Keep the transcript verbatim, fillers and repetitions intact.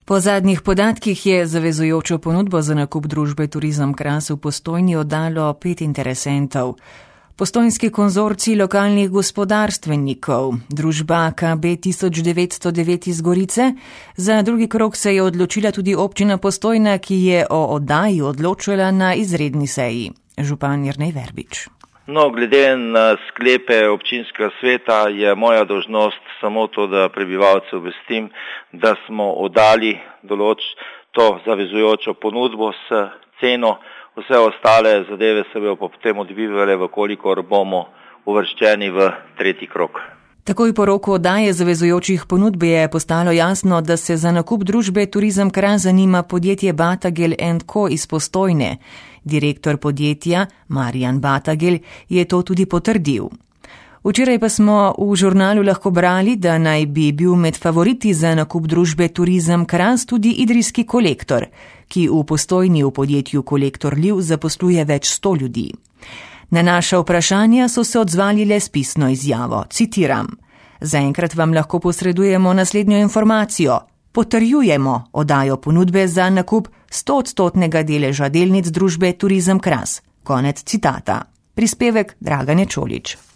Po zadnjih podatkih je zavezujočo ponudbo za nakup družbe Turizem Kras v Postojni oddalo pet interesentov. Postojnski konzorcij lokalnih gospodarstvenikov, družba K B tisoč devetsto devet iz Gorice, za drugi krog se je odločila tudi občina Postojna, ki je o oddaji odločila na izredni seji. Župan Jernej Verbič. No, glede na sklepe občinskega sveta je moja dolžnost samo to, da prebivalce obvestim, da smo oddali določ to zavezujočo ponudbo s ceno. Vse ostale zadeve se bodo potem odvivale, vkolikor bomo uvrščeni v tretji krog. Takoj po roku oddaje zavezujočih ponudb je postalo jasno, da se za nakup družbe Turizem Kras zanima podjetje Batagel and Co iz Postojne. Direktor podjetja Marjan Batagel je to tudi potrdil. Včeraj pa smo v žurnalu lahko brali, da naj bi bil med favoriti za nakup družbe Turizem Kras tudi Idrijski Kolektor, ki v Postojni v podjetju Kolektor Liv zaposluje več sto ljudi. Na naša vprašanja so se odzvali le s pisno izjavo, citiram: Zaenkrat vam lahko posredujemo naslednjo informacijo. Potrjujemo oddajo ponudbe za nakup stoodstotnega deleža delnic družbe Turizem Kras. Konec citata. Prispevek Dragane Čolič.